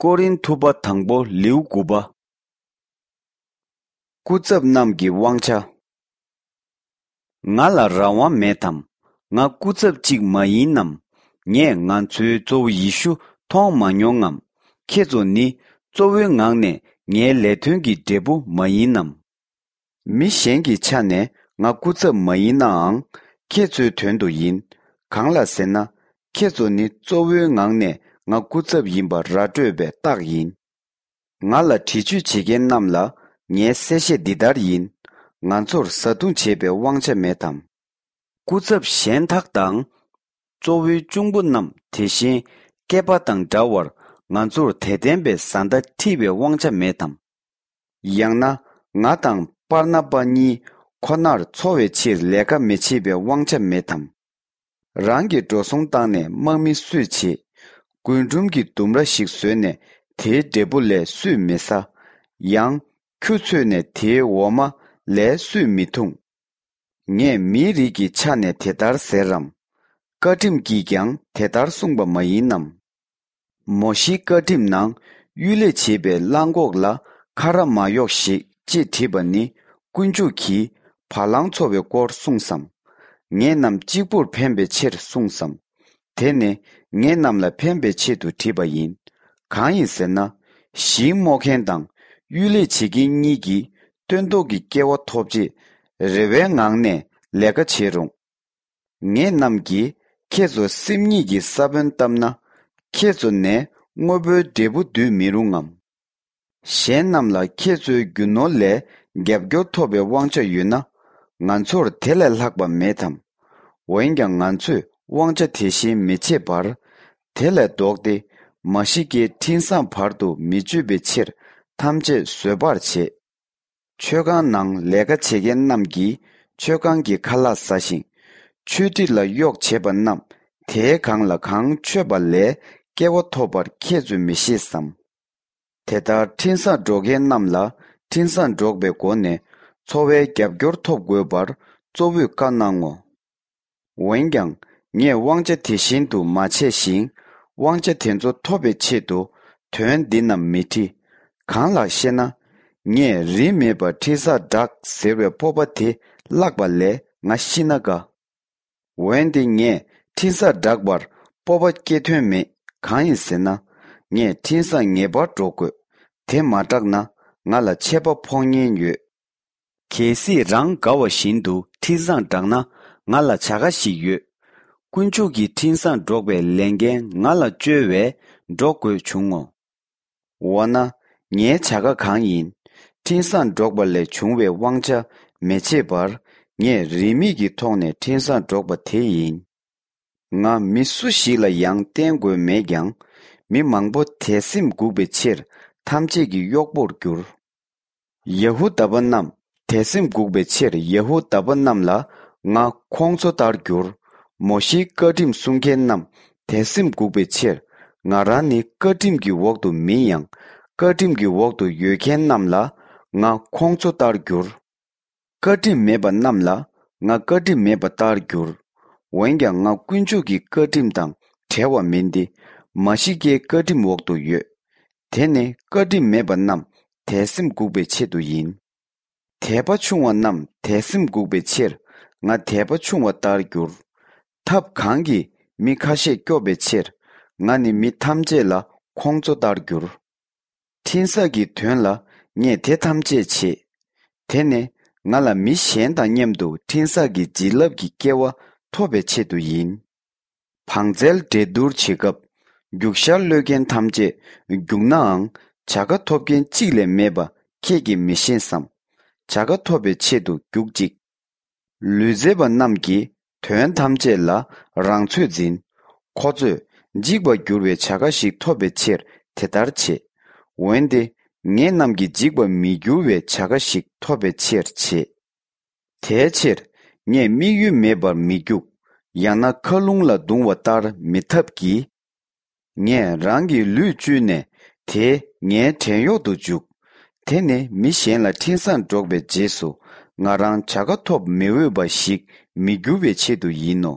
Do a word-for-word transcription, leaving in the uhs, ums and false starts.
ཀོ་རིན་ཐུ་པ་དང་པོ་ལེའུ་དགུ་པ། སྐུ་ཚབ་རྣམས་ཀྱི་དབང་ཆ། ང་ལ་རང་དབང་མེད་དམ། ང་སྐུ་ཚབ་ཅིག་མ་ཡིན་ནམ། ངས་ང་ཚོའི་གཙོ་བོ་ཡེ་ཤུ་མཐོང་མ་མྱོང་ངམ། ཁྱེད་ཚོ་ནི་གཙོ་བོའི་ངང་ནས་ངའི་ལས་དོན་གྱི་འབྲས་བུ་མ་ཡིན་ནམ། མི་གཞན་གྱི་ཆ་ནས་ང་སྐུ་ཚབ་མ་ཡིན་ནའང་། ཁྱེད་ཚོའི་དོན་དུ་ཡིན། གང་ལ་ཟེར་ན། ཁྱེད་ཚོ་ནི་གཙོ་བོའི་ངང་ནས་ང་སྐུ་ཚབ་ཡིན་པ་ར་སྤྲོད་པའི་རྟགས་ཡིན། ང་ལ་འདྲི་གཅོད་བྱེད་མཁན་རྣམས་ལ་ངའི་གསལ་བཤད་འདི་ལྟར་ཡིན། ང་ཚོར་བཟའ་བཏུང་བྱེད་པའི་དབང་ཆ་མེད་དམ། སྐུ་ཚབ་གཞན་དག་དང་། གཙོ་བོའི་གཅུང་པོ་རྣམས་དེ་བཞིན་སྐེད་པ་དང་འདྲ་བར་ང་ཚོར་དད་ལྡན་པའི་བཟའ་ཟླ་ཁྲིད་པའི་དབང་ཆ་མེད་དམ། ཡང་ན་ང་དང་པར་ན་པ་གཉིས་ཁོ་ནར་འཚོ་བའི་ཕྱིར་ལས་ཀ་མི་བྱེད་པའི་དབང་ཆ་མེད་དམ། རང་གི་འགྲོ་སོང་བཏང་ནས་དམག་མི་སུས་བྱེད། རྒུན་འབྲུམ་གྱི་ལྡུམ་ར་ཞིག་བཟོས་ནས་དེའི་འབྲས་བུ་ལས་སུས་མི་ཟ། ཡང་ཁྱུ་འཚོས་ནས་དེའི་འོ་མ་ལས་སུས་མི་འཐུང་། ངས་མིའི་རིགས་ཀྱི་ཆ་ནས་དེ་ལྟར་ཟེར་རམ། བཀའ་ཁྲིམས་ཀྱིས་ཀྱང་དེ་ལྟར་གསུངས་པ་མ་ཡིན་ནམ། མོ་ཤེའི་བཀའ་ཁྲིམས་ནང་གཡུལ་ལས་བྱེད་པའི་གླང་གོག་ལ་ཁ་ར་མ་གཡོགས་ཤིག་ཅེས་བྲིས་པ་ནི་དཀོན་མཆོག་གིས་བ་ལང་འཚོ་བའི་སྐོར་གསུངས་སམ། ངེད་རྣམས་གཅིག་པུར་ཕན་པའི་ཕྱིར་གསུངས་སམ། དེ་ནི་ངེད་རྣམས་ལ་ཕན་པའི་ཆེད་དུ་བྲིས་པ་ཡིན། གང་ཡིན་ཟེར་ན། ཞིང་རྨོ་མཁན་དང་གཡུལ་ལས་བྱེད་མཁན་གཉིས་ཀྱིས་སྟོན་ཐོག་གི་སྐལ་བ་ཐོབ་རྗེས་རེ་བའི་ངང་ནས་ལས་ཀ་བྱེད་རུང་། ངེད་རྣམས་ཀྱིས་ཁྱེད་ཚོ་སེམས་ཉིད་ཀྱི་ས་བོན་བཏབ་ན། ཁྱེད་ཚོ་ནས་དངོས་པོའི་འབྲས་བུ་འདུས་མི་རུང་ངམ། གཞན་རྣམས་ལ་ཁྱེད་ཚོའི་རྒྱུ་ནོར་ལས་རྒྱབ་སྐྱོར་ཐོབ་པའི་དབང་ཆ་ཡོད་ན། ང་ཚོར་དེ་ལས་ལྷག་པ་མེད་དམ། འོན་ཀྱང་ང་ཚོས་དབང་ཆ་དེ་བཞིན་མི་བྱེད་པར། དེ་ལས་ལྡོག་སྟེ་མ་ཤི་ཀའི་འཕྲིན་བཟང་བར་དུ་མི་གཅོད་པའི་ཕྱིར་ཐམས་ཅད་བཟོད་པར་བྱེད། མཆོད་ཁང་ནང་ལས་ཀ་བྱེད་མཁན་རྣམས་ཀྱིས་མཆོད་ཁང་གི་ཁ་ལག་ཟ་ཞིང་། མཆོད་ཁྲི་ལ་གཡོག་བྱེད་པ་རྣམས་དེའི་སྒང་ལ་གང་མཆོད་པ་ལས་སྐལ་བ་ཐོབ་པར་ཁྱེད་ཚོས་མི་ཤེས་སམ། དེ་ལྟར་འཕྲིན་བཟང་སྒྲོག་མཁན་རྣམས་ལ་འཕྲིན་བཟང་སྒྲོག་པའི་སྒོ་ནས་འཚོ་བའི་རྒྱབ་སྐྱོར་ཐོབ་དགོས་པར་གཙོ་བོས་བཀའ་གནང་ངོ་། འོན་ཀྱང་ངས་དབང་ཆ་དེ་བཞིན་དུ་མ་བྱས་ཤིང་། དབང་ཆ་དེ་ཚོ་ཐོབ་པའི་ཆེད་དུ་དོན་འདི་རྣམས་མི་བྲི། གང་ལགས་ཤེ་ན། ངས་རིན་མེད་པར་འཕྲིན་བཟང་བསྒྲགས་ཟེར་བའི་སྤོབས་པ་དེ་བརླགས་པ་ལས་ང་ཤི་ན་དགའ། འོན་ཏེ་ངས་འཕྲིན་བཟང་བསྒྲགས་པར་སྤོབས་པ་སྐྱེ་དོན་མེད། གང་ཡིན་ཟེར་ན། ངས་འཕྲིན་བཟང་ངེས་པར་སྒྲོག་དགོས། དེ་མ་བསྒྲགས་ན་ང་ལ་ཆད་པ་ཕོག་ཉེན་ཡོད། གལ་སྲིད་རང་དགའ་བ་བཞིན་དུ་འཕྲིན་བཟང་བསྒྲགས་ན་ང་ལ་བྱ་དགའ་ཞིག་ཡོད། དཀོན་མཆོག་གི་འཕྲིན་བཟང་སྒྲོག་པའི་ལས་འགན་ང་ལ་བཅོལ་བས་སྒྲོག་དགོས་བྱུང་ངོ་། འོ་ན། ངའི་བྱ་དགའ་གང་ཡིན། འཕྲིན་བཟང་སྒྲོག་པ་ལས་བྱུང་བའི་དབང་ཆ་མི་བྱེད་པར། ངས་རིན་མེད་ཀྱི་ཐོག་ནས་འཕྲིན་བཟང་སྒྲོག་པ་དེ་ཡིན། ང་མི་སུ་ཞིག་ལ་ཡང་བརྟེན་དགོས་མེད་ཀྱང་། མི་མང་པོ་དད་སེམས་འགུག་པའི་ཕྱིར་ཐམས་ཅད་ཀྱི་གཡོག་པོར་གྱུར། ཡ་ཧུ་དཱ་པ་རྣམས་དད་སེམས་འགུག་པའི་ཕྱིར་ཡ་ཧུ་དཱ་པ་རྣམས་ལ་ང་ཁོང་ཚོ་ལྟར་གྱུར། མོ་ཤེའི་བཀའ་ཁྲིམས་སྲུང་མཁན་རྣམས་དད་སེམས་འགུག་པའི་ཕྱིར། ང་རང་ནི་བཀའ་ཁྲིམས་ཀྱི་འོག་ཏུ་མིན་ཡང་། བཀའ་ཁྲིམས་ཀྱི་འོག་ཏུ་ཡོད་མཁན་རྣམས་ལ་ང་ཁོང་ཚོ་ལྟར་གྱུར། བཀའ་ཁྲིམས་མེད་པ་རྣམས་ལ་ང་བཀའ་ཁྲིམས་མེད་པ་ལྟར་གྱུར། འོན་ཀྱང་ང་དཀོན་མཆོག་གི་བཀའ་ཁྲིམས་དང་བྲལ་བ་མིན་ཏེ། མ་ཤི་ཀའི་བཀའ་ཁྲིམས་འོག་ཏུ་ཡོད། དེ་ནི་བཀའ་ཁྲིམས་མེད་པ་རྣམས་དད་སེམས་འགུག་པའི་ཆེད་དུ་ཡིན། དད་པ་ཆུང་བ་རྣམས་དད་སེམས་འགུག་པའི་ཕྱིར། ང་དད་པ་ཆུང་བ་ལྟར་གྱུར། ཐབས་གང་གིས་མི་ཁ་ཤས་སྐྱོབ་པའི་ཕྱིར། ང་ནི་མི་ཐམས་ཅད་ལ་ཁོང་ཁྲོ་ལྟར་གྱུར། འཕྲིན་བཟང་གི་དོན་ལ་ངས་དེ་ཐམས་ཅད་བྱེད། དེ་ནི་ང་ལ་མི་གཞན་དང་མཉམ་དུ་འཕྲིན་བཟང་གི་བྱིན་རླབས་ཀྱི་སྐལ་བ་ཐོབ་པའི་ཆེད་དུ་ཡིན། བང་རྩལ་འགྲན་བསྡུར་བྱེད་སྐབས། རྒྱུག་ཤར་གློད་མཁན་ཐམས་ཅད་རྒྱུག་ནའང་བྱ་དགའ་ཐོབ་མཁན་གཅིག་ལས་མེད་པ་ཁྱེད་ཀྱིས་མི་ཤེས་སམ། བྱ་དགའ་ཐོབ་པའི་ཆེད་དུ་རྒྱུག་ཅིག། ལུས་རྩལ་པ་རྣམས་ཀྱིས་དོན་ཐམས་ཅད་ལ་རང་ཚོད་འཛིན། ཁོ་ཚོས་འཇིག་པར་འགྱུར་བའི་བྱ་དགའ་ཞིག་ཐོབ་པའི་ཕྱིར་དེ་ལྟར་བྱེད། འོན་ཏེ་ངེད་རྣམས་ཀྱིས་འཇིག་པར་མི་འགྱུར་བའི་བྱ་དགའ་ཞིག་ཐོབ་པའི་ཕྱིར་བྱེད། དེའི་ཕྱིར་ངས་དམིགས་ཡུལ་མེད་པར་མི་རྒྱུག། ཡང་ན་མཁའ་རླུང་ལ་རྡུང་བ་ལྟར་མི་འཐབ་ཀྱི། ངས་རང་གི་ལུས་བཅུས་ནས་དེ་ངའི་བྲན་གཡོག་ཏུ་འཇུག། དེ་ནི་མི་གཞན་ལ་འཕྲིན་བཟང་སྒྲོག་པའི་རྗེས་སུ་ང་རང་བྱ་དགའ་ཐོབ་མི་འོས་པ་ཞིག་མི་འགྱུར་བའི་ཆེད་དུ་ཡིན་ནོ།